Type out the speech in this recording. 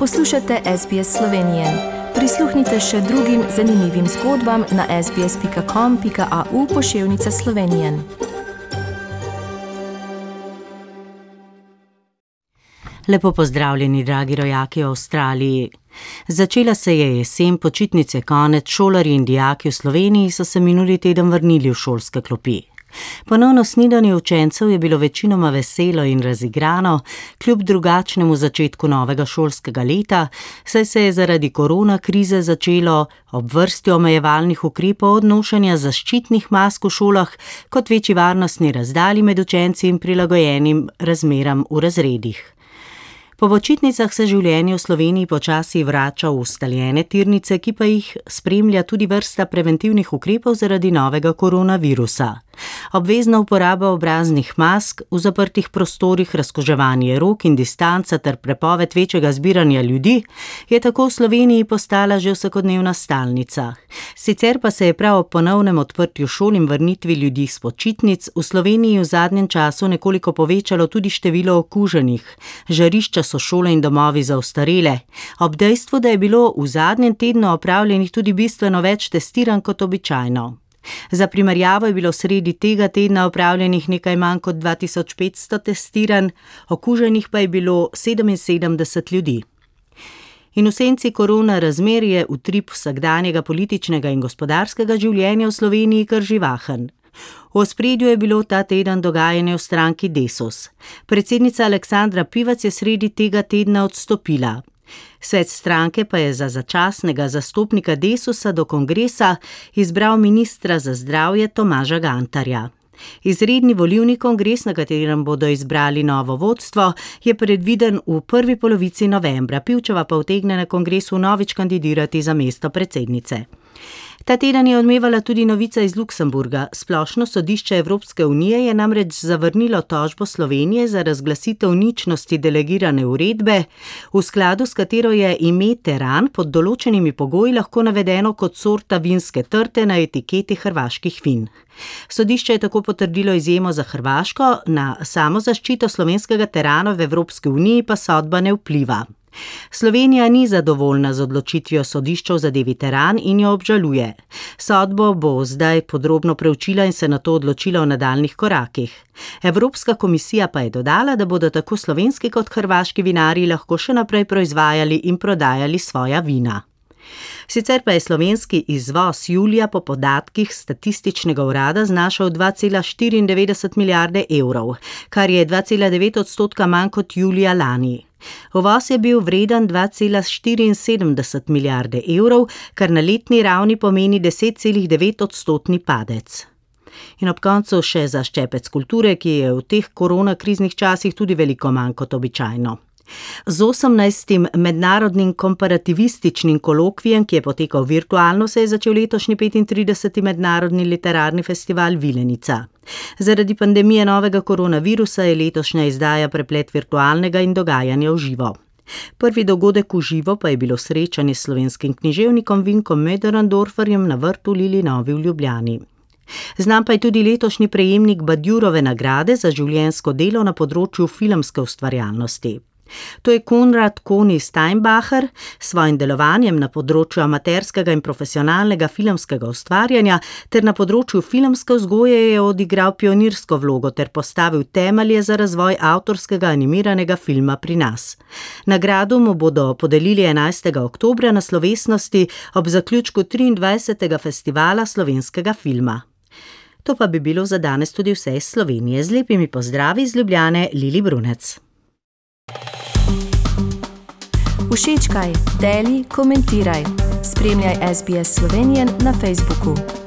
Poslušate SBS Slovenije. Prisluhnite še drugim zanimivim zgodbam na sbs.com.au/Slovenije. Lepo pozdravljeni, dragi rojaki v Avstraliji. Začela se je jesen, počitnice konec, šolarji in dijaki v Sloveniji so se minuli teden vrnili v šolske klopi. Ponovno snidenje učencev je bilo večinoma veselo in razigrano, kljub drugačnemu začetku novega šolskega leta, saj se je zaradi korona krize začelo ob vrsti omejevalnih ukrepov od nošenja zaščitnih mask v šolah kot večji varnostni razdalji med učenci in prilagojenim razmeram v razredih. Po počitnicah se življenje v Sloveniji počasi vrača v ustaljene tirnice, ki pa jih spremlja tudi vrsta preventivnih ukrepov zaradi novega koronavirusa. Obvezna uporaba obraznih mask, v zaprtih prostorih razkuževanje rok in distanca ter prepoved večjega zbiranja ljudi je tako v Sloveniji postala že vsakodnevna stalnica. Sicer pa se je prav ob ponovnem odprtju šol in vrnitvi ljudi s počitnic v Sloveniji v zadnjem času nekoliko povečalo tudi število okuženih. Žarišča so šole in domovi za ostarele, ob dejstvu, da je bilo v zadnjem tednu opravljenih tudi bistveno več testiranj kot običajno. Za primerjavo je bilo sredi tega tedna opravljenih nekaj manj kot 2500 testiranj, okuženih pa je bilo 77 ljudi. In v senci korona razmer je utrip vsakdanjega političnega in gospodarskega življenja v Sloveniji kar živahen. V ospredju je bilo ta teden dogajanje v stranki Desus. Predsednica Aleksandra Pivac je sredi tega tedna odstopila. Svet stranke pa je za začasnega zastopnika Desusa do kongresa izbral ministra za zdravje Tomaža Gantarja. Izredni volilni kongres, na katerem bodo izbrali novo vodstvo, je predviden v prvi polovici novembra. Pivčeva pa utegne na kongresu vnovič kandidirati za mesto predsednice. Ta teden je odmevala tudi novica iz Luksemburga. Splošno sodišče Evropske unije je namreč zavrnilo tožbo Slovenije za razglasitev ničnosti delegirane uredbe, v skladu s katero je ime teran pod določenimi pogoji lahko navedeno kot sorta vinske trte na etiketi hrvaških vin. Sodišče je tako potrdilo izjemo za Hrvaško, na samozaščito slovenskega terana v Evropski uniji pa sodba ne vpliva. Slovenija ni zadovoljna z odločitvijo sodišča v zadevi teran in jo obžaluje. Sodbo bo zdaj podrobno preučila in se nato odločila o nadaljnjih korakih. Evropska komisija pa je dodala, da bodo tako slovenski kot hrvaški vinarji lahko še naprej proizvajali in prodajali svoja vina. Sicer pa je slovenski izvoz julija po podatkih statističnega urada znašal 2,94 milijarde evrov, kar je 2,9% manj kot julija lani. Uvoz je bil vreden 2,74 milijarde evrov, kar na letni ravni pomeni 10,9% padec. In ob koncu še za ščepec kulture, ki je v teh koronakriznih časih tudi veliko manj kot običajno. Z 18. mednarodnim komparativističnim kolokvijem, ki je potekal virtualno, se je začel letošnji 35. mednarodni literarni festival Vilenica. Zaradi pandemije novega koronavirusa je letošnja izdaja preplet virtualnega in dogajanja v živo. Prvi dogodek v živo pa je bilo srečanje s slovenskim književnikom Vinkom Möderndorferjem na vrtu Lilinovi v Ljubljani. Znam pa je tudi letošnji prejemnik Badjurove nagrade za življenjsko delo na področju filmske ustvarjalnosti. To je Konrad Koni Steinbacher, s svojim delovanjem na področju amaterskega in profesionalnega filmskega ustvarjanja ter na področju filmske vzgoje je odigral pionirsko vlogo ter postavil temelje za razvoj avtorskega animiranega filma pri nas. Nagrado mu bodo podelili 11. oktobra na slovesnosti ob zaključku 23. festivala slovenskega filma. To pa bi bilo za danes tudi vse iz Slovenije. Z lepimi pozdravi iz Ljubljane, Lili Brunec. Všečkaj, deli, komentiraj. Spremljaj SBS Slovenije na Facebooku.